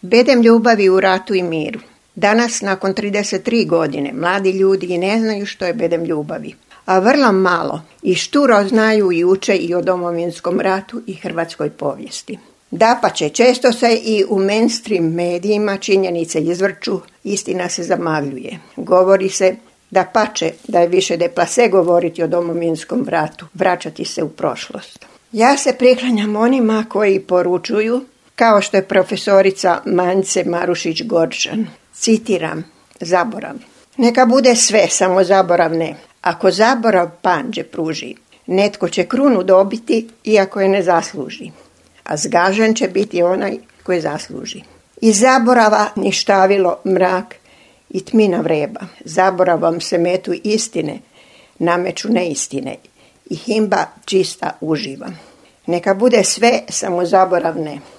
Bedem ljubavi u ratu i miru. Danas, nakon 33 godine, mladi ljudi i ne znaju što je bedem ljubavi. A vrlo malo i šturo znaju i uče i o Domovinskom ratu i hrvatskoj povijesti. Dapače, često se i u mainstream medijima činjenice izvrću, istina se zamagljuje. Govori se da je više deplase govoriti o Domovinskom ratu, vraćati se u prošlost. Ja se priklanjam onima koji poručuju, kao što je profesorica Mance Marušić-Gorčan. Citiram, zaborav. Neka bude sve, samo zaborav ne. Ako zaborav panđe pruži, netko će krunu dobiti iako je ne zasluži. A zgažen će biti onaj koji zasluži. Iz zaborava ništavilo mrak i tmina vreba. Zaboravom se metu istine, nameću neistine i himba čista uživa. Neka bude sve, samo zaborav ne.